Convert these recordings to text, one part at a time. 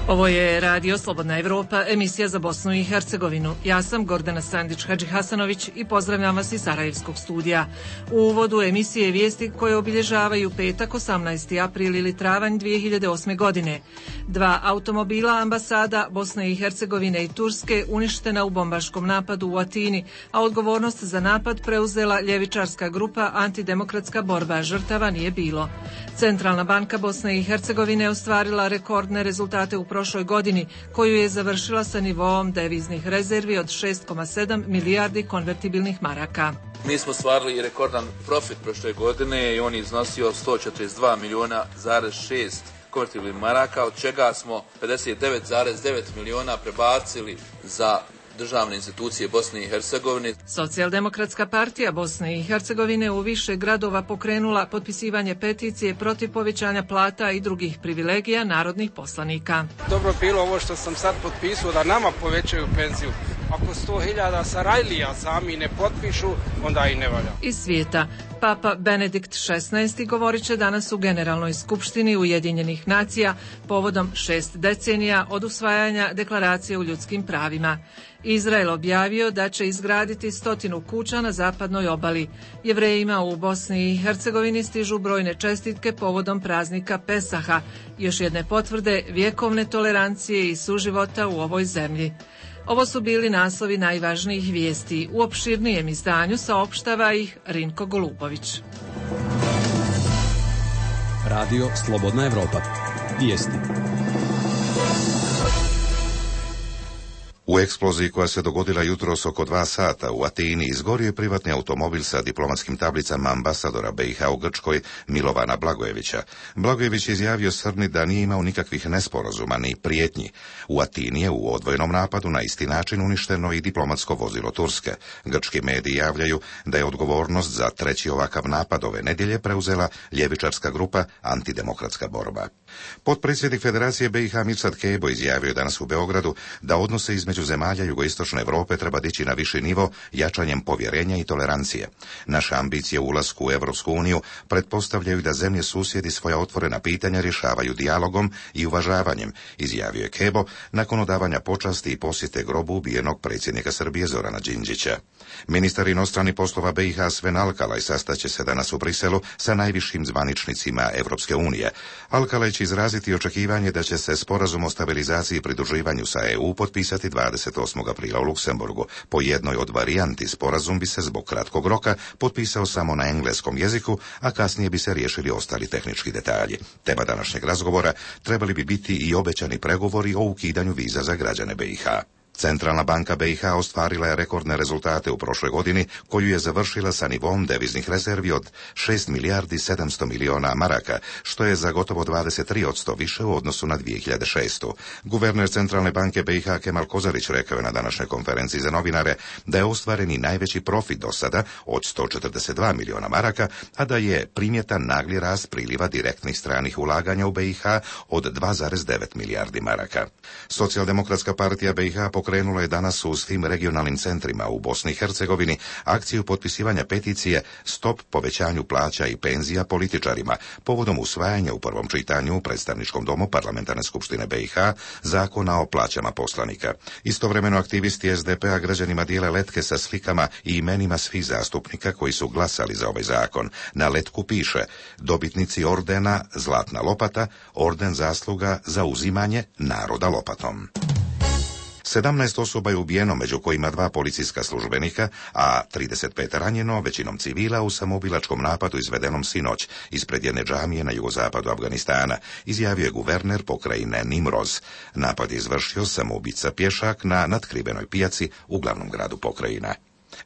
Ovo je Radio Slobodna Evropa, emisija za Bosnu i Hercegovinu. Ja sam Gordana Sandić-Hadžihasanović i pozdravljam vas iz Sarajevskog studija. U uvodu emisije vijesti koje obilježavaju petak 18. april ili travanj 2008. godine. 2 automobila ambasada Bosne i Hercegovine i Turske uništena u bombaškom napadu u Atini, a odgovornost za napad preuzela ljevičarska grupa Antidemokratska borba. Žrtava nije bilo. Centralna banka Bosne i Hercegovine ostvarila rekordne rezultate u prošloj godini, koju je završila sa nivoom deviznih rezervi od 6,7 milijardi konvertibilnih maraka. Mi smo ostvarili rekordan profit prošle godine i on je iznosio 142 milijuna zarez 6 konvertibilnih maraka, od čega smo 59,9 milijuna prebacili za državne institucije Bosne i Hercegovine. Socijaldemokratska partija Bosne i Hercegovine u više gradova pokrenula potpisivanje peticije protiv povećanja plata i drugih privilegija narodnih poslanika. Dobro bilo ovo što sam sad potpisao da nama povećaju penziju. Ako 100.000 Sarajlija sami ne potpišu, onda i ne valja. Iz svijeta. Papa Benedikt XVI govorit će danas u Generalnoj skupštini Ujedinjenih nacija povodom 6 decenija od usvajanja Deklaracije o ljudskim pravima. Izrael objavio da će izgraditi 100 kuća na zapadnoj obali. Jevrejima u Bosni i Hercegovini stižu brojne čestitke povodom praznika Pesaha, još jedne potvrde vjekovne tolerancije i suživota u ovoj zemlji. Ovo su bili naslovi najvažnijih vijesti. U opširnijem izdanju saopštava ih Rinko Golubović. Radio Slobodna Evropa. Vijesti. U eksploziji koja se dogodila jutros oko 2 sata u Atini izgorio je privatni automobil sa diplomatskim tablicama ambasadora BiH u Grčkoj Milovana Blagojevića. Blagojević je izjavio Srni da nije imao nikakvih nesporazuma ni prijetnji. U Atini je u odvojenom napadu na isti način uništeno i diplomatsko vozilo Turske. Grčki mediji javljaju da je odgovornost za treći ovakav napad ove nedjelje preuzela ljevičarska grupa Antidemokratska borba. Potpredsjednik Federacije BiH Mirsad Kebo izjavio danas u Beogradu da odnose između zemalja jugoistočne Europe treba dići na viši nivo jačanjem povjerenja i tolerancije. Naše ambicije u ulasku u Europsku uniju pretpostavljaju da zemlje susjedi svoja otvorena pitanja rješavaju dijalogom i uvažavanjem, izjavio je Kebo nakon odavanja počasti i posjete grobu ubijenog predsjednika Srbije Zorana Đinđića. Ministar inostranih poslova BiH Sven Alkalaj sastaće se danas u Briselu sa najvišim zvaničnicima Europske unije. Alkalaj će izraziti očekivanje da će se sporazum o stabilizaciji i pridruživanju sa EU potpisati 28. aprila u Luksemburgu. Po jednoj od varijanti sporazum bi se zbog kratkog roka potpisao samo na engleskom jeziku, a kasnije bi se riješili ostali tehnički detalji. Tema današnjeg razgovora trebali bi biti i obećani pregovori o ukidanju viza za građane BiH. Centralna banka BiH ostvarila je rekordne rezultate u prošloj godini, koju je završila sa nivom deviznih rezervi od 6 milijardi 700 milijuna maraka, što je za gotovo 23% više u odnosu na 2006. Guverner Centralne banke BiH Kemal Kozarić rekao je na današnjoj konferenciji za novinare da je ostvaren i najveći profit do sada od 142 milijuna maraka, a da je primjetan nagli rast priliva direktnih stranih ulaganja u BiH od 2,9 milijardi maraka. Socijaldemokratska partija BiH pokrenula je danas u svim regionalnim centrima u Bosni i Hercegovini akciju potpisivanja peticije Stop povećanju plaća i penzija političarima povodom usvajanja u prvom čitanju u predstavničkom domu Parlamentarne skupštine BiH zakona o plaćama poslanika. Istovremeno aktivisti SDP-a građanima dijele letke sa slikama i imenima svih zastupnika koji su glasali za ovaj zakon. Na letku piše: dobitnici ordena Zlatna lopata, orden zasluga za uzimanje naroda lopatom. 17 osoba je ubijeno, među kojima 2 policijska službenika, a 35 ranjeno, većinom civila, u samoubilačkom napadu izvedenom sinoć ispred jedne džamije na jugozapadu Afganistana, izjavio je guverner pokrajine Nimroz. Napad je izvršio samoubica pješak na natkrivenoj pijaci u glavnom gradu pokrajina.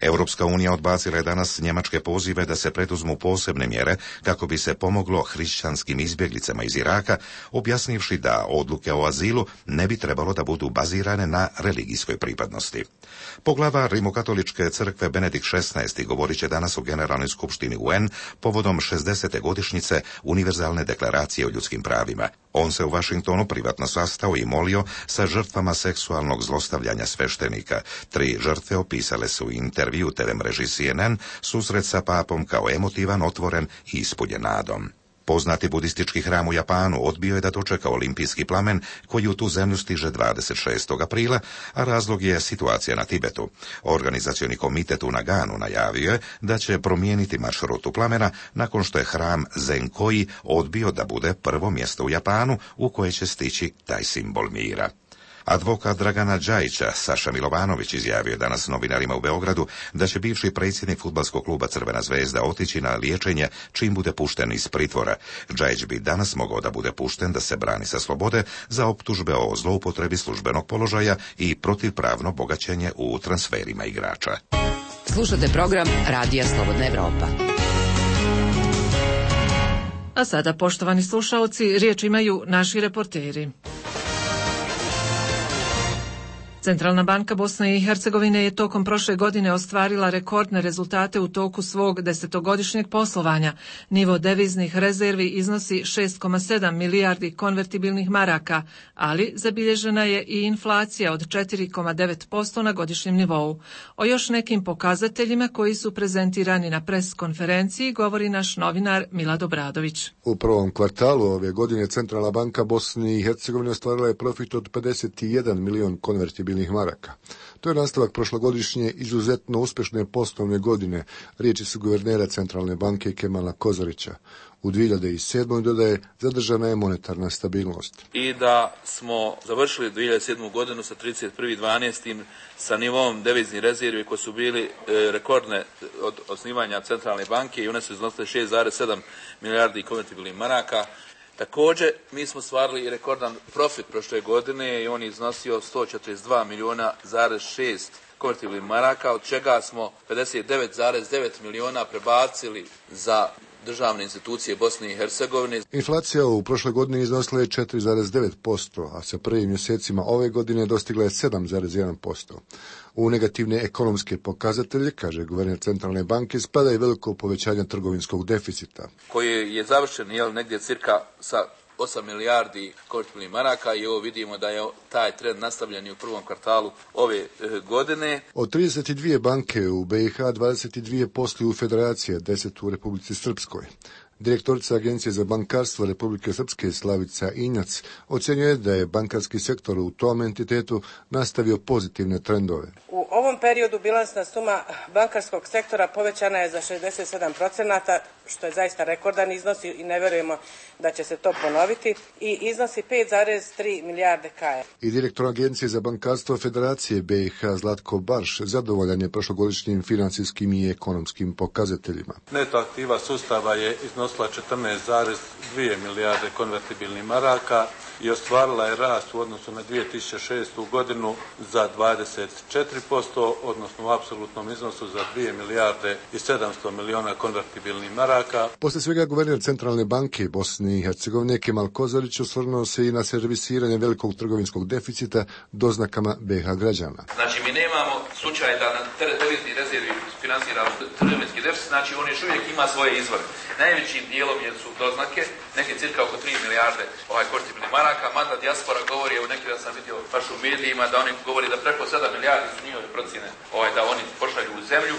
Europska unija odbacila je danas njemačke pozive da se preduzmu posebne mjere kako bi se pomoglo hrišćanskim izbjeglicama iz Iraka, objasnivši da odluke o azilu ne bi trebalo da budu bazirane na religijskoj pripadnosti. Poglavar Rimokatoličke crkve Benedikt XVI govorit će danas u Generalnoj skupštini UN povodom 60. godišnjice Univerzalne deklaracije o ljudskim pravima. On se u Vašingtonu privatno sastao i molio sa žrtvama seksualnog zlostavljanja sveštenika. 3 žrtve opisale su u intervju TV mreži CNN susret sa papom kao emotivan, otvoren i ispunjen nadom. Poznati budistički hram u Japanu odbio je da dočeka olimpijski plamen koji u tu zemlju stiže 26. aprila, a razlog je situacija na Tibetu. Organizacioni komitet u Naganu najavio je da će promijeniti maršrutu plamena nakon što je hram Zenkoi odbio da bude prvo mjesto u Japanu u koje će stići taj simbol mira. Advokat Dragana Džajića, Saša Milovanović, izjavio je danas novinarima u Beogradu da će bivši predsjednik fudbalskog kluba Crvena zvezda otići na liječenje čim bude pušten iz pritvora. Džajić bi danas mogao da bude pušten da se brani sa slobode za optužbe o zloupotrebi službenog položaja i protivpravno bogaćenje u transferima igrača. Slušate program Radija Slobodna Evropa. A sada, poštovani slušaoci, riječ imaju naši reporteri. Centralna banka Bosne i Hercegovine je tokom prošle godine ostvarila rekordne rezultate u toku svog desetogodišnjeg poslovanja. Nivo deviznih rezervi iznosi 6,7 milijardi konvertibilnih maraka, ali zabilježena je i inflacija od 4,9% na godišnjem nivou. O još nekim pokazateljima koji su prezentirani na pres konferenciji govori naš novinar Milad Obradović. U prvom kvartalu ove godine Centralna banka Bosne i Hercegovine ostvarila je profit od 51 milion konvertibilnih maraka. To je nastavak prošlogodišnje izuzetno uspješne poslovne godine, riječi su guvernera Centralne banke Kemala Kozarića. U 2007. dodaje, zadržana je monetarna stabilnost. I da smo završili 2007. godinu sa 31.12. sa nivom deviznih rezervi koji su bili rekordne od osnivanja Centralne banke i one su iznosile 6,7 milijardi konvertibilnih maraka. Također, mi smo stvarili rekordan profit prošle godine i on je iznosio 142 milijuna zarez 6 konvertibilnih maraka, od čega smo 59,9 milijuna prebacili za državne institucije Bosne i Hercegovine. Inflacija u prošloj godini iznosila je 4,9%, a sa prvim mjesecima ove godine dostigla je 7,1%. U negativne ekonomske pokazatelje, kaže guverner Centralne banke, spada i veliko povećanje trgovinskog deficita. Koji je završen negdje cirka sa 8 milijardi konvertibilnih maraka i ovo vidimo da je taj trend nastavljen i u prvom kvartalu ove godine. Od 32 banke u BiH, 22 posluju u Federaciji, 10 u Republici Srpskoj. Direktorica Agencije za bankarstvo Republike Srpske Slavica Injac ocjenjuje da je bankarski sektor u tom entitetu nastavio pozitivne trendove. U ovom periodu bilansna suma bankarskog sektora povećana je za 67%, što je zaista rekordan iznos i ne vjerujemo da će se to ponoviti, i iznosi 5,3 milijarde KR. I direktor Agencije za bankarstvo Federacije BiH Zlatko Barš zadovoljan je prošlogodišnjim financijskim i ekonomskim pokazateljima. Neto aktiva sustava je iznosila 14,2 milijarde konvertibilnih maraka i ostvarila je rast u odnosu na 2006. godinu za 24%, odnosno u apsolutnom iznosu za 2 milijarde i 700 milijuna konvertibilnih maraka. Poslije svega guverner Centralne banke Bosne i Hercegovine Kemal Kozarić osvrnuo se i na servisiranje velikog trgovinskog deficita doznakama BiH građana. Znači, mi nemamo slučaj da na devizni rezervi finansiramo trgovinski deficit, znači on još uvijek ima svoje izvore. Najvećim dijelom su doznake, neke cirka oko 3 milijarde konvertibilnih maraka, mada dijaspora govori, evo neki da sam vidio baš u medijima, da oni govori da preko 7 milijardi su njihove procjene da oni pošalju u zemlju.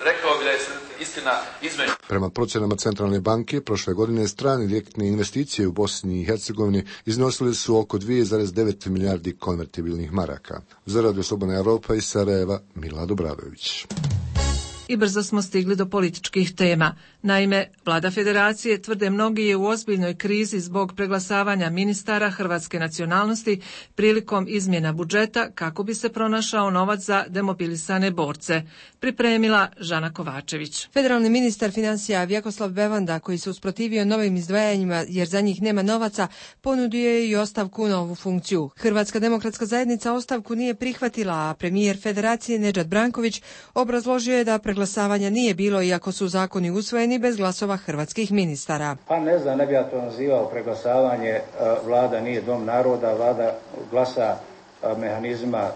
Rekao bi da je istina između. Prema procjenama Centralne banke, prošle godine strane direktne investicije u Bosni i Hercegovini iznosile su oko 2,9 milijardi konvertibilnih maraka. Za Radio Slobodna Evropa iz Sarajeva, Milad Obradović. I brzo smo stigli do političkih tema. Naime, vlada federacije, tvrde mnogi, je u ozbiljnoj krizi zbog preglasavanja ministara hrvatske nacionalnosti prilikom izmjena budžeta kako bi se pronašao novac za demobilisane borce. Pripremila Žana Kovačević. Federalni ministar financija Vjekoslav Bevanda, koji se usprotivio novim izdvajanjima jer za njih nema novaca, ponudio je i ostavku na ovu funkciju. Hrvatska demokratska zajednica ostavku nije prihvatila, a premijer federacije Nedžad Branković obrazložio je da preglasavanja nije bilo, iako su zakoni usvojeni bez glasova hrvatskih ministara. Pa ne znam, ne bi ja to nazivao preglasavanje. Vlada nije dom naroda, vlada glasa mehanizma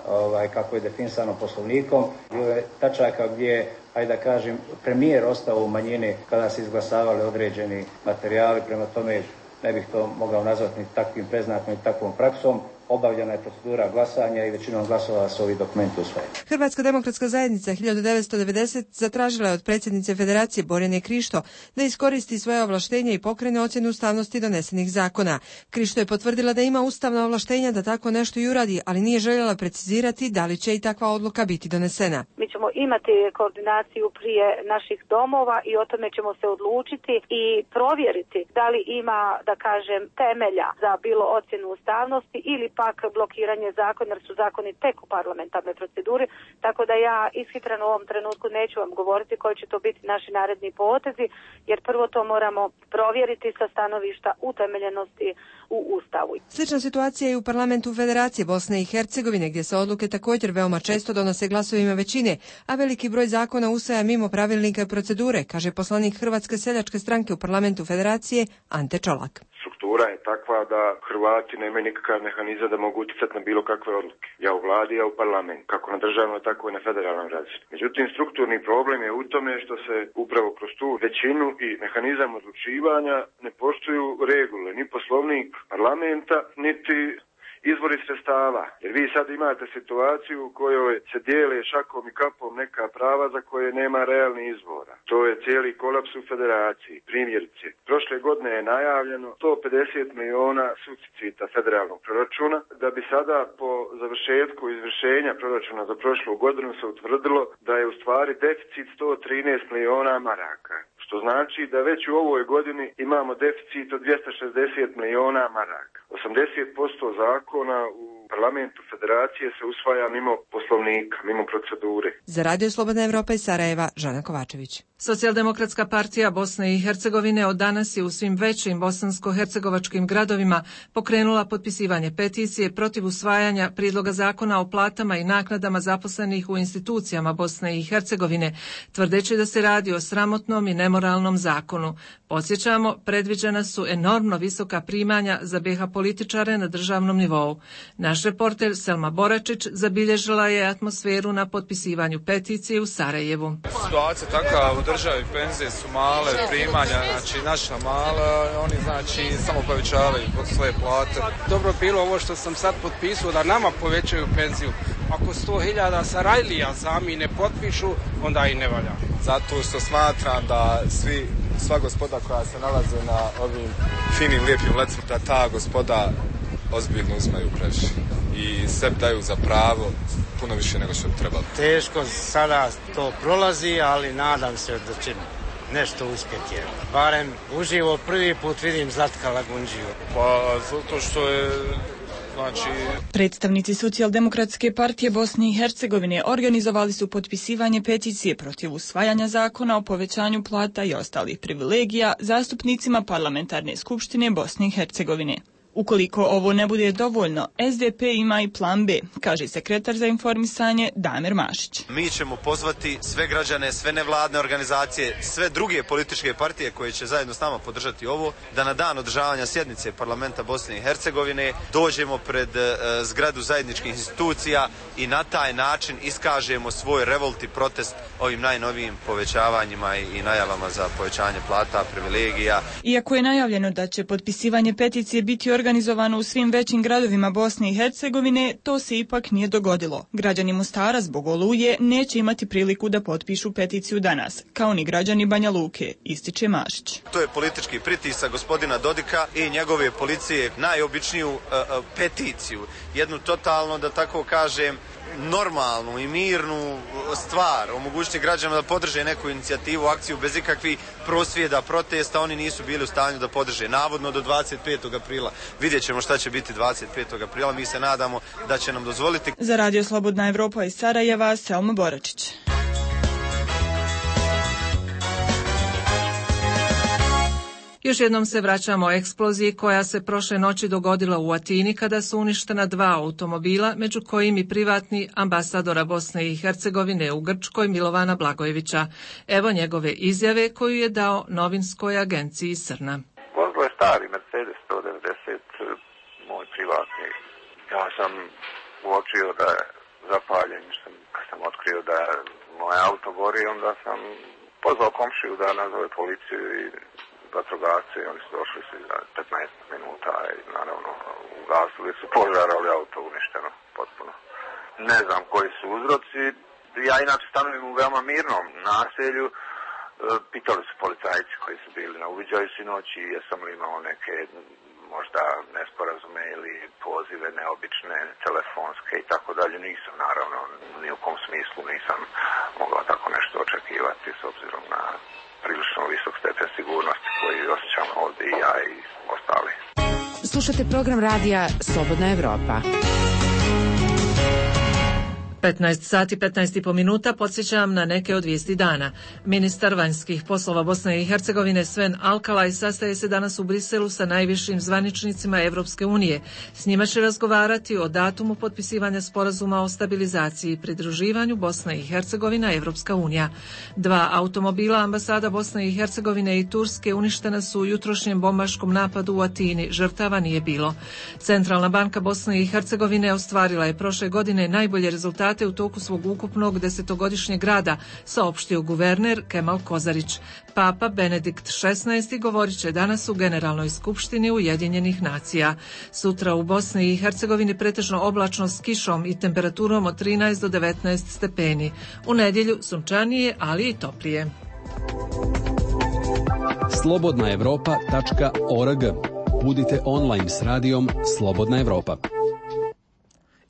kako je definisano poslovnikom. Bilo je tačaka gdje, ajde da kažem, premijer ostao u manjini kada se izglasavali određeni materijali, prema tome ne bih to mogao nazvati ni takvim preznakom ni takvom praksom. obavljena je procedura glasanja i većinom glasova su ovi dokumenti usvojeni. Hrvatska demokratska zajednica 1990 zatražila je od predsjednice Federacije Borjane Krišto da iskoristi svoje ovlaštenje i pokrene ocjenu ustavnosti donesenih zakona. Krišto je potvrdila da ima ustavna ovlaštenja da tako nešto i uradi, ali nije željela precizirati da li će i takva odluka biti donesena. Mi ćemo imati koordinaciju prije naših domova i o tome ćemo se odlučiti i provjeriti da li ima, da kažem, temelja za bilo ocjenu ustavnosti ili pak blokiranje zakona, jer su zakoni tek u parlamentarnoj proceduri, tako da ja ishitreno u ovom trenutku neću vam govoriti koji će to biti naši naredni potezi, jer prvo to moramo provjeriti sa stanovišta utemeljenosti u Ustavu. Slična situacija je u parlamentu Federacije Bosne i Hercegovine, gdje se odluke također veoma često donose glasovima većine, a veliki broj zakona usvaja mimo pravilnika i procedure, kaže poslanik Hrvatske seljačke stranke u parlamentu Federacije Ante Čolak. Struktura je takva da Hrvati nemaju nikakav mehanizam da mogu utjecati na bilo kakve odluke. Ja u vladi, ja u parlamentu, kako na državnoj, tako i na federalnom razini. Međutim, strukturni problem je u tome što se upravo kroz tu većinu i mehanizam odlučivanja ne poštuju regule, ni poslovnik parlamenta, niti izvori sredstava. Jer vi sad imate situaciju u kojoj se dijele šakom i kapom neka prava za koje nema realnih izvora. To je cijeli kolaps u federaciji. Primjerice, prošle godine je najavljeno 150 miliona suficita federalnog proračuna, da bi sada po završetku izvršenja proračuna za prošlu godinu se utvrdilo da je u stvari deficit 113 miliona maraka. Što znači da već u ovoj godini imamo deficit od 260 miliona maraka. 80% zakona u parlamentu Federacije se usvaja mimo poslovnika, mimo procedure. Za Radio Slobodna Evropa iz Sarajeva, Žana Kovačević. Socijaldemokratska partija Bosne i Hercegovine od danas je u svim većim bosansko-hercegovačkim gradovima pokrenula potpisivanje peticije protiv usvajanja prijedloga zakona o platama i naknadama zaposlenih u institucijama Bosne i Hercegovine, tvrdeći da se radi o sramotnom i nemoralnom zakonu. Podsjećamo, predviđena su enormno visoka primanja za BiH političare na državnom nivou. Naš reporter Selma Boračić zabilježila je atmosferu na potpisivanju peticije u Sarajevu. Situacija takva u državi, penzije su male, primanja, znači naša mala, oni znači samo povećavaju svoje plate. Dobro bilo ovo što sam sad potpisao da nama povećaju penziju. Ako 100.000 Sarajlija sami ne potpišu, onda i ne valja. Zato što smatram da sva gospoda koja se nalaze na ovim finim, lijepim lecima, da ta gospoda ozbiljno uzmaju previše i sebi daju za pravo puno više nego što bi trebalo. Teško sada to prolazi, ali nadam se da će nešto uspjeti. Barem uživo prvi put vidim Zlatka Lagundžiju. Pa zato što je Predstavnici Socijaldemokratske partije Bosne i Hercegovine organizovali su potpisivanje peticije protiv usvajanja zakona o povećanju plata i ostalih privilegija zastupnicima Parlamentarne skupštine Bosne i Hercegovine. Ukoliko ovo ne bude dovoljno, SDP ima i plan B, kaže sekretar za informisanje Damir Mašić. Mi ćemo pozvati sve građane, sve nevladne organizacije, sve druge političke partije koje će zajedno s nama podržati ovo, da na dan održavanja sjednice parlamenta Bosne i Hercegovine dođemo pred zgradu zajedničkih institucija i na taj način iskažemo svoj revolt i protest ovim najnovijim povećavanjima i najavama za povećanje plata, privilegija. Iako je najavljeno da će potpisivanje peticije biti organizovano u svim većim gradovima Bosne i Hercegovine, to se ipak nije dogodilo. Građani Mostara zbog oluje neće imati priliku da potpišu peticiju danas, kao ni građani Banja Luke, ističe Mašić. To je politički pritisak gospodina Dodika i njegove policije, najobičniju peticiju, jednu totalno, da tako kažem, normalnu i mirnu stvar, omogućiti građanima da podrže neku inicijativu, akciju bez ikakvih prosvjeda, protesta, oni nisu bili u stanju da podrže, navodno do 25. aprila. Vidjet ćemo šta će biti 25. aprila, mi se nadamo da će nam dozvoliti. Za Radio Slobodna Evropa iz Sarajeva, Selma Boračić. Još jednom se vraćamo o eksploziji koja se prošle noći dogodila u Atini kada su uništena 2 automobila, među kojim i privatni ambasadora Bosne i Hercegovine u Grčkoj Milovana Blagojevića. Evo njegove izjave koju je dao novinskoj agenciji Srna. Vozilo je stari Mercedes 190, moj privatni. Ja sam uočio da je zapaljen, kad sam otkrio da je moj auto gori, onda sam pozvao komšiju da nazove policiju i vatrogasci, oni su došli za 15 minuta i naravno ugasili su požar, ali auto uništeno potpuno. Ne znam koji su uzroci. Ja inače stanujem u veoma mirnom naselju. Pitali su policajci koji su bili na uviđaju sinoć i jesam li imao neke možda nesporazume ili pozive neobične, telefonske i tako dalje. Nisam, naravno, ni u kom smislu nisam mogla tako nešto očekivati s obzirom na prilično visok stepen sigurnosti koji osjećam ovdje i ja i ostali. Slušate program radija Slobodna Evropa. 15 sati 15,5 minuta, podsjećam na neke od vijesti dana. Ministar vanjskih poslova Bosne i Hercegovine Sven Alkalaj sastaje se danas u Briselu sa najvišim zvaničnicima Evropske unije. S njima će razgovarati o datumu potpisivanja sporazuma o stabilizaciji i pridruživanju Bosne i Hercegovina Evropska unija. 2 automobila ambasada Bosne i Hercegovine i Turske uništena su u jutrošnjem bombaškom napadu u Atini. Žrtava nije bilo. Centralna banka Bosne i Hercegovine ostvarila je prošle godine najbolje rezultate u toku svog ukupnog 10-godišnjeg rada, saopštio guverner Kemal Kozarić. Papa Benedikt XVI govorit će danas u Generalnoj skupštini Ujedinjenih nacija. Sutra u Bosni i Hercegovini pretežno oblačno s kišom i temperaturom od 13 do 19 stepeni. U nedjelju sunčanije, ali i toplije. slobodnaevropa.org. Budite online s radijom Slobodna Evropa.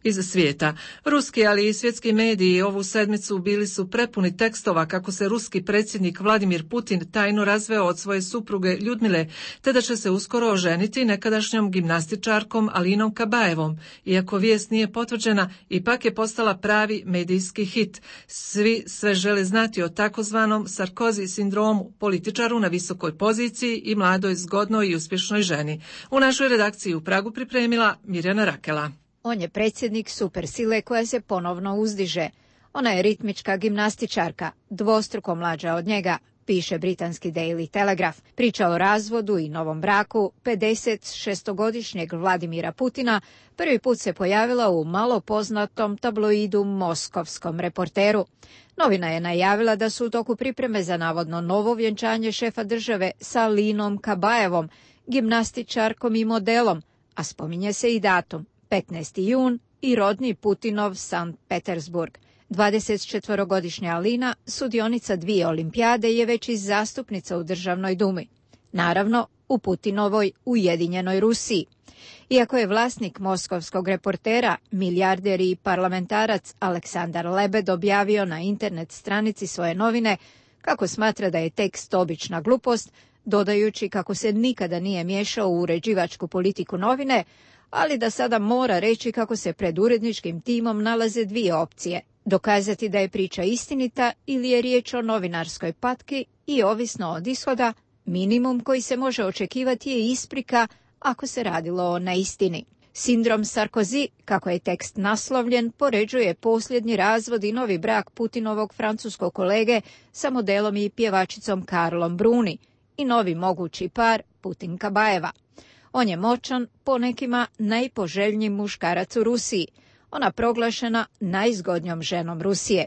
Iz svijeta. Ruski, ali i svjetski mediji ovu sedmicu bili su prepuni tekstova kako se ruski predsjednik Vladimir Putin tajno razveo od svoje supruge Ljudmile, te da će se uskoro oženiti nekadašnjom gimnastičarkom Alinom Kabajevom. Iako vijest nije potvrđena, ipak je postala pravi medijski hit. Svi sve žele znati o takozvanom Sarkozy sindromu, političaru na visokoj poziciji i mladoj, zgodnoj i uspješnoj ženi. U našoj redakciji u Pragu pripremila Mirjana Rakela. On je predsjednik supersile koja se ponovno uzdiže. Ona je ritmička gimnastičarka, dvostruko mlađa od njega, piše britanski Daily Telegraph. Priča o razvodu i novom braku 56-godišnjeg Vladimira Putina prvi put se pojavila u malo poznatom tabloidu Moskovskom Reporteru. Novina je najavila da su u toku pripreme za navodno novo vjenčanje šefa države sa Alinom Kabajevom, gimnastičarkom i modelom, a spominje se i datum. 15. jun i rodni Putinov Sankt Petersburg. 24-godišnja Alina, sudionica 2 olimpijade, je već i zastupnica u Državnoj dumi. Naravno, u Putinovoj Ujedinjenoj Rusiji. Iako je vlasnik Moskovskog Reportera, milijarder i parlamentarac Aleksandar Lebed objavio na internet stranici svoje novine kako smatra da je tekst obična glupost, dodajući kako se nikada nije miješao u uređivačku politiku novine, ali da sada mora reći kako se pred uredničkim timom nalaze 2 opcije. Dokazati da je priča istinita ili je riječ o novinarskoj patki i ovisno od ishoda, minimum koji se može očekivati je isprika ako se radilo o neistini. Sindrom Sarkozy, kako je tekst naslovljen, poređuje posljednji razvod i novi brak Putinovog francuskog kolege sa modelom i pjevačicom Karlom Bruni i novi mogući par Putin-Kabajeva. On je moćan, po nekima najpoželjniji muškarac u Rusiji. Ona proglašena najzgodnjom ženom Rusije.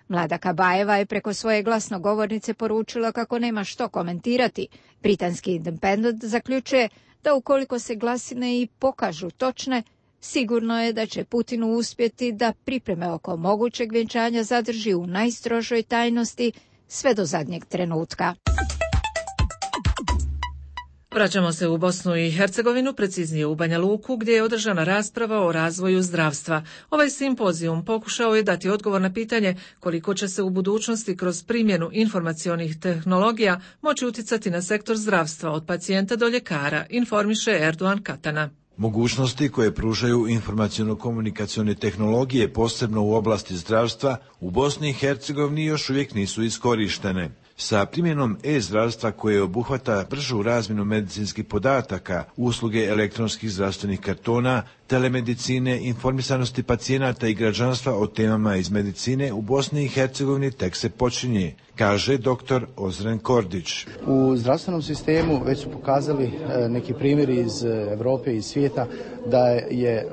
Mlada Kabajeva je preko svoje glasnogovornice poručila kako nema što komentirati. Britanski Independent zaključuje da ukoliko se glasine i pokažu točne, sigurno je da će Putinu uspjeti da pripreme oko mogućeg vjenčanja zadrži u najstrožoj tajnosti sve do zadnjeg trenutka. Vraćamo se u Bosnu i Hercegovinu, preciznije u Banja Luku, gdje je održana rasprava o razvoju zdravstva. Ovaj simpozijum pokušao je dati odgovor na pitanje koliko će se u budućnosti kroz primjenu informacionih tehnologija moći utjecati na sektor zdravstva od pacijenta do ljekara, informiše Erdogan Katana. Mogućnosti koje pružaju informaciono-komunikacione tehnologije, posebno u oblasti zdravstva, u Bosni i Hercegovini još uvijek nisu iskorištene. Sa primjenom e-zdravstva koje obuhvata bržu razmjenu medicinskih podataka, usluge elektronskih zdravstvenih kartona, telemedicine, informisanosti pacijenata i građanstva o temama iz medicine u Bosni i Hercegovini tek se počinje, kaže dr. Ozren Kordić. U zdravstvenom sistemu već su pokazali neki primjeri iz Europe i svijeta da je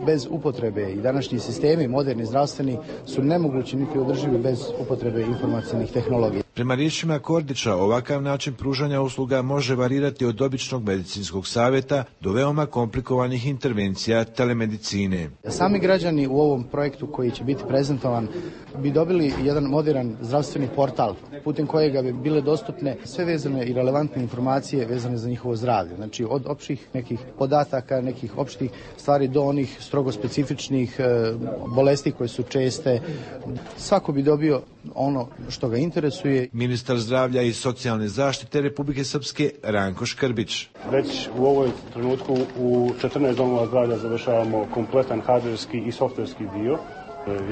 bez upotrebe i današnji sistemi, moderni zdravstveni, su nemogući niti održivi bez upotrebe informacijnih tehnologija. Prema riječima Kordića, ovakav način pružanja usluga može varirati od običnog medicinskog savjeta do veoma komplikovanih intervencija telemedicine. Sami građani u ovom projektu koji će biti prezentovan bi dobili jedan modern zdravstveni portal putem kojega bi bile dostupne sve vezane i relevantne informacije vezane za njihovo zdravlje. Znači od opštih nekih podataka, nekih opštih stvari do onih strogo specifičnih bolesti koje su česte. Svako bi dobio ono što ga interesuje. Ministar zdravlja i socijalne zaštite Republike Srpske Ranko Škrbić. Već u ovoj trenutku u 14 domova zdravlja završavamo kompletan hardverski i softverski dio.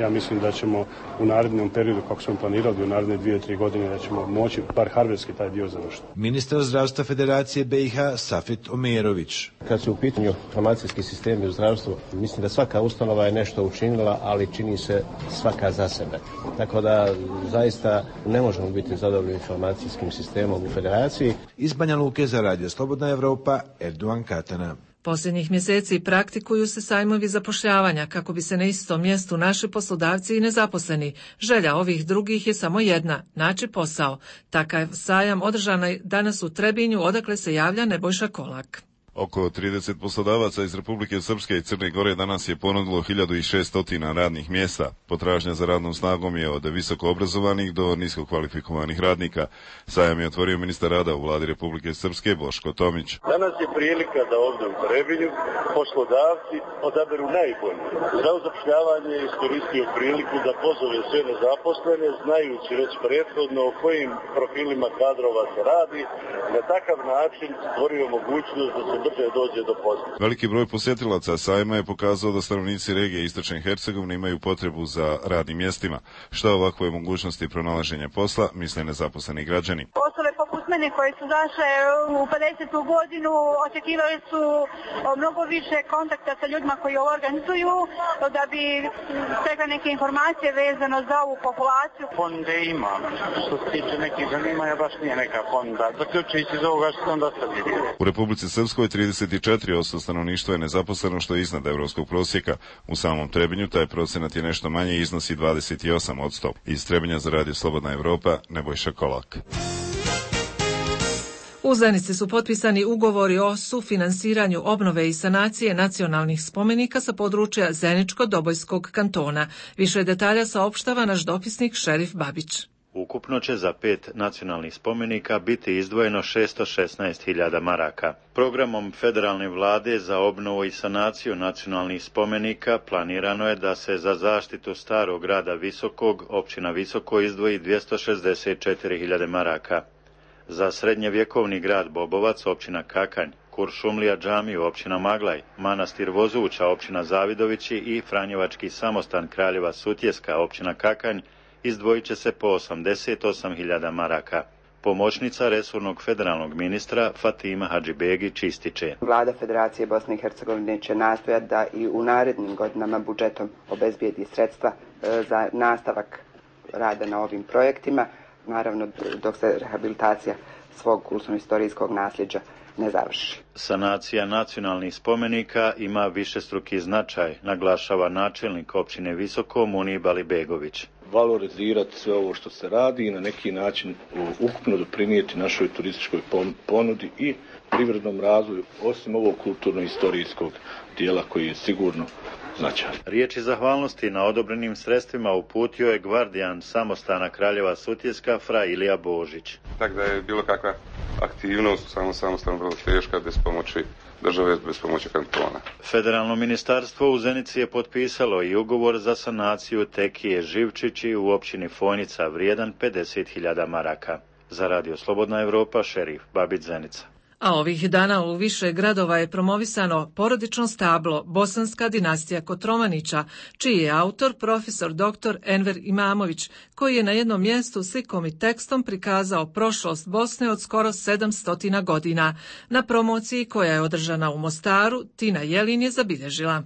Ja mislim da ćemo u narednom periodu, kako smo planirali, u naredne 2-3 godine da ćemo moći bar hardverski taj dio završiti. Ministar zdravstva Federacije BiH Safet Omerović. Kad su u pitanju informacijski sistemi u zdravstvu, mislim da svaka ustanova je nešto učinila, ali čini se svaka za sebe. Tako da zaista ne možemo biti zadovoljni informacijskim sistemom u Federaciji. Iz Banja Luke za Radio Slobodna Evropa, Erdogan Katana. Posljednjih mjeseci praktikuju se sajmovi zapošljavanja kako bi se na istom mjestu naši poslodavci i nezaposleni. Želja ovih drugih je samo jedna, naći posao. Takav sajam održan je danas u Trebinju, odakle se javlja Nebojša Kolak. Oko 30 poslodavaca iz Republike Srpske i Crne Gore danas je ponudilo 1600 radnih mjesta. Potražnja za radnom snagom je od visoko obrazovanih do nisko kvalifikovanih radnika. Sajam je otvorio ministar rada u vladi Republike Srpske Boško Tomić. Danas je prilika da ovdje u Trebinju poslodavci odaberu najbolje. Za zapošljavanje je iskoristio priliku da pozove sve nezaposlene, znajući već prethodno o kojim profilima kadrova se radi. Na takav način stvorio mogućnost da se brže dođe do posla. Veliki broj posjetilaca sajma je pokazao da stanovnici regije Istočne Hercegovine imaju potrebu za radnim mjestima. Šta ovakve mogućnosti pronalaženja posla misle nezaposleni građani? Osobe poput mene koje su zašle u 50. godinu očekivali su mnogo više kontakta sa ljudima koji ovo organizuju da bi stekle neke informacije vezano za ovu populaciju. Fonde ima. Što se tiče nekih zanimanja baš nije neka fonda. Zaključujući iz ovoga što sam dosta vidio. U Republici Srpskoj 34% stanovništva je nezaposleno, što je iznad evropskog prosjeka. U samom Trebinju taj procenat je nešto manje i iznosi 28%. Iz Trebinja za Radio Slobodna Evropa, Nebojša Kolak. U Zenici su potpisani ugovori o sufinansiranju obnove i sanacije nacionalnih spomenika sa područja Zeničko-Dobojskog kantona. Više detalja saopštava naš dopisnik Šerif Babić. Ukupno će za 5 nacionalnih spomenika biti izdvojeno 616.000 maraka. Programom federalne vlade za obnovu i sanaciju nacionalnih spomenika planirano je da se za zaštitu starog grada Visokog, općina Visoko, izdvoji 264.000 maraka. Za srednjevjekovni grad Bobovac, općina Kakanj, Kuršumlija džamiju, općina Maglaj, manastir Vozuća, općina Zavidovići i Franjevački samostan Kraljeva Sutjeska, općina Kakanj, izdvojit će se po 88.000 maraka. Pomoćnica resornog federalnog ministra Fatima Hadžibegić ističe. Vlada Federacije Bosne i Hercegovine će nastojati da i u narednim godinama budžetom obezbijedi sredstva za nastavak rada na ovim projektima, naravno dok se rehabilitacija svog kulturno-istorijskog nasljeđa ne završi. Sanacija nacionalnih spomenika ima višestruki značaj, naglašava načelnik općine Visoko Munib Alibegović. Valorizirati sve ovo što se radi i na neki način ukupno doprinijeti našoj turističkoj ponudi i privrednom razvoju, osim ovog kulturno-istorijskog dijela koji je sigurno značajan. Riječi zahvalnosti na odobrenim sredstvima uputio je gvardijan samostana Kraljeva Sutjeska fra Ilija Božić. Tako da je bilo kakva aktivnost samostana vrlo teška bez pomoći države, bez pomoći kantona. Federalno ministarstvo u Zenici je potpisalo i ugovor za sanaciju tekije Živčići u općini Fojnica vrijedan 50.000 maraka. Za Radio Slobodna Evropa, Šerif Babić, Zenica. A ovih dana u više gradova je promovisano porodično stablo Bosanska dinastija Kotromanića, čiji je autor profesor dr. Enver Imamović, koji je na jednom mjestu slikom i tekstom prikazao prošlost Bosne od skoro 700 godina. Na promociji koja je održana u Mostaru, Tina Jelin je zabilježila.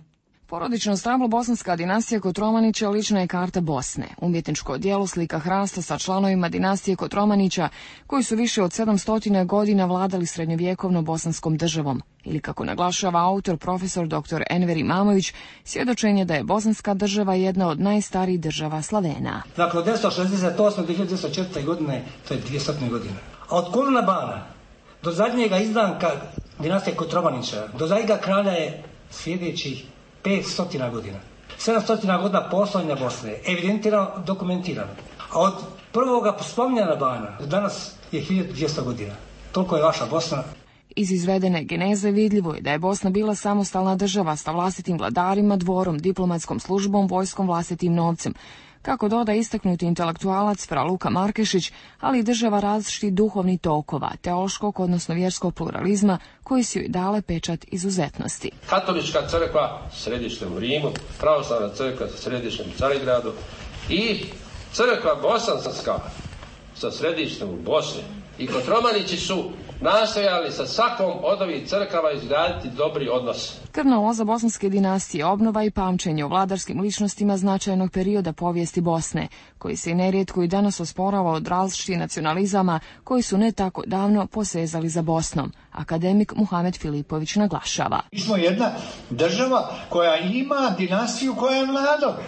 Porodično stablo bosanska dinastija Kotromanića lična je karta Bosne. Umjetničko djelo slika hrasta sa članovima dinastije Kotromanića koji su više od 700 godina vladali srednjovjekovnom bosanskom državom. Ili kako naglašava autor profesor dr. Enver Imamović, svjedočenje da je bosanska država jedna od najstarijih država Slavena. Dakle, od 1968. do 1904. godine, to je 200 godina. A od Koluna Bana do zadnjega izdanka dinastije Kotromanića, do zadnjega kralja je sljedećih 500 godina. 700 godina postojanja Bosne, evidentirano, dokumentirano. A od prvoga spominjanja Bana do danas je 1200 godina. Toliko je vaša Bosna. Iz izvedene geneze vidljivo je da je Bosna bila samostalna država sa vlastitim vladarima, dvorom, diplomatskom službom, vojskom, vlastitim novcem. Kako doda istaknuti intelektualac Fra Luka Markešić, ali i država različitih duhovnih tokova, teološkog, odnosno vjerskog pluralizma, koji su joj dale pečat izuzetnosti. Katolička crkva s središtem u Rimu, pravoslavna crkva sa središtem u Carigradu i crkva bosanska sa središtem u Bosni. I Kotromanići su nastojali sa svakom od ovih crkava izgraditi dobri odnos. Krvna loza bosanske dinastije, obnova i pamćenje o vladarskim ličnostima značajnog perioda povijesti Bosne, koji se i nerijetko i danas osporava od različitih nacionalizama koji su ne tako davno posezali za Bosnom. Akademik Muhamed Filipović naglašava. Mi smo jedna država koja ima dinastiju koja je mlada.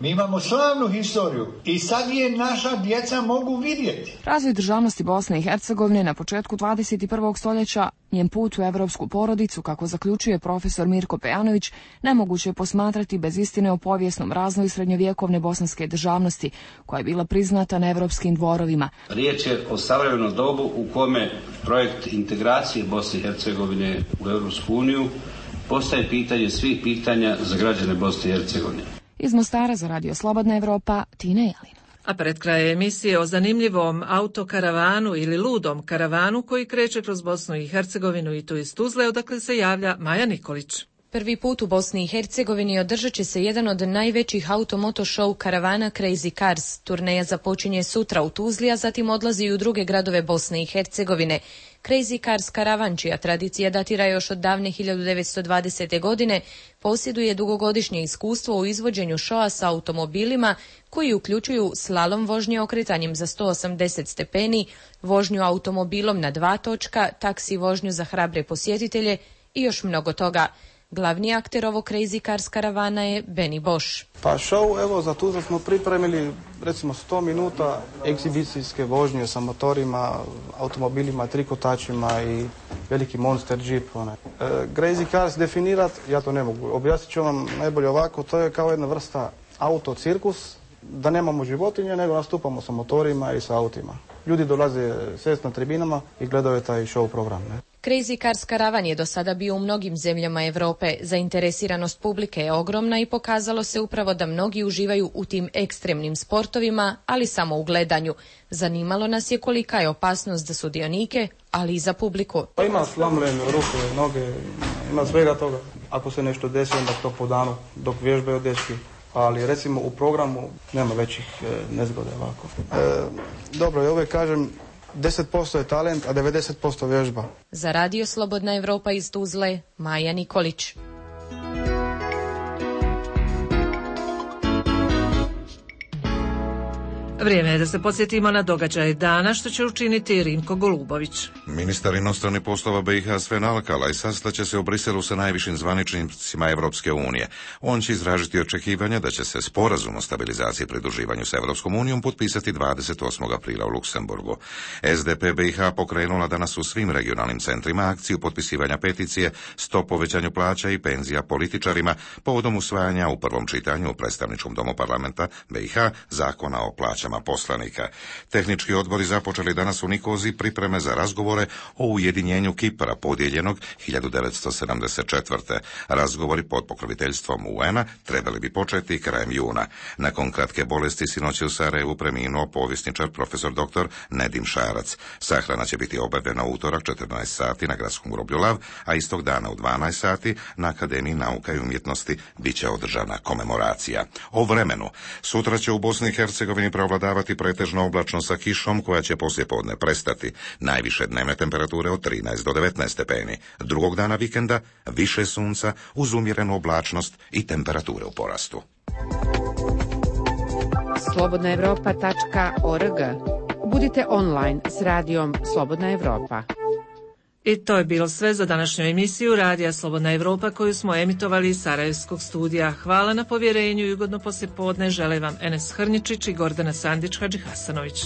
Mi imamo slavnu historiju i sad je naša djeca mogu vidjeti. Razvoj državnosti Bosne i Hercegovine na početku 21. stoljeća, njen put u evropsku porodicu, kako zaključuje profesor Mirko Pejanović, nemoguće je posmatrati bez istine o povijesnom razvoju srednjovjekovne bosanske državnosti, koja je bila priznata na evropskim dvorovima. Riječ je o savremenom dobu u kome projekt integracije Bosne i Hercegovine u Europsku uniju postaje pitanje svih pitanja za građane Bosne i Hercegovine. Iz Mostara za Radio Slobodna Evropa, Tina Jelin. A pred kraj emisije o zanimljivom autokaravanu ili ludom karavanu koji kreće kroz Bosnu i Hercegovinu i tu iz Tuzle, odakle se javlja Maja Nikolić. Prvi put u Bosni i Hercegovini održat će se jedan od najvećih automoto show karavana Crazy Cars. Turneja započinje sutra u Tuzli, a zatim odlazi i u druge gradove Bosne i Hercegovine. Crazy Cars karavan, čija tradicija datira još od davne 1920. godine, posjeduje dugogodišnje iskustvo u izvođenju šoa sa automobilima koji uključuju slalom vožnje okretanjem za 180 stepeni, vožnju automobilom na 2 točka, taksi vožnju za hrabre posjetitelje i još mnogo toga. Glavni akter ovog Crazy Cars karavana je Benny Bosch. Pa show, evo, za Tuzlu smo pripremili recimo 100 minuta egzibicijske vožnje sa motorima, automobilima, trikotačima i veliki Monster Jeep. Crazy Cars definirat, ja to ne mogu, objasnit ću vam najbolje ovako, to je kao jedna vrsta autocirkus, da nemamo životinje, nego nastupamo sa motorima i sa autima. Ljudi dolaze sjest na tribinama i gledaju taj show program. Crazy Cars karavan je do sada bio u mnogim zemljama Europe. Zainteresiranost publike je ogromna i pokazalo se upravo da mnogi uživaju u tim ekstremnim sportovima, ali samo u gledanju. Zanimalo nas je kolika je opasnost za sudionike, ali i za publiku. Pa ima slomljene ruke, noge, ima svega toga. Ako se nešto desi, onda to po danu dok vježbaju dečki. Ali recimo u programu nema većih nezgode ovako. Dobro, ja uvijek kažem 10% je talent, a 90% vježba. Za Radio Slobodna Evropa iz Tuzle, Maja Nikolić. Vrijeme je da se podsjetimo na događaje dana, što će učiniti Rimko Golubović. Ministar inostranih poslova BiH Sven Alkalaj sastaće se u Briselu sa najvišim zvaničnicima Evropske unije. On će izražiti očekivanja da će se sporazum o stabilizaciji i pridruživanju s Evropskom unijom potpisati 28. aprila u Luksemburgu. SDP BiH pokrenula danas u svim regionalnim centrima akciju potpisivanja peticije o povećanju plaća i penzija političarima povodom usvajanja u prvom čitanju u predstavničkom domu parlamenta BiH zakona o plaćama poslanika. Tehnički odbori započeli danas u Nikozi pripreme za razgovore o ujedinjenju Kipra podijeljenog 1974. Razgovori pod pokroviteljstvom UN-a trebali bi početi krajem juna. Nakon kratke bolesti sinoć u Sarajevu preminuo povjesničar profesor dr. Nedim Šarac. Sahrana će biti obavljena u utorak 14 sati na gradskom groblju Lav, a istog dana u 12 sati na Akademiji nauka i umjetnosti bit će održana komemoracija. O vremenu. Sutra će u Bosni i Hercegovini prevladavati pretežno oblačno sa kišom koja će poslijepodne prestati. Najviše dnevne temperature od 13 do 19 stepeni. Drugog dana vikenda više sunca uz umjerenu oblačnost i temperature u porastu. slobodnaevropa.org. Budite online s radijom Slobodna Evropa. I to je bilo sve za današnju emisiju Radija Slobodna Evropa koju smo emitovali iz Sarajevskog studija. Hvala na povjerenju i ugodno poslijepodne žele vam Enes Hrničić i Gordana Sandić Hadžihasanović.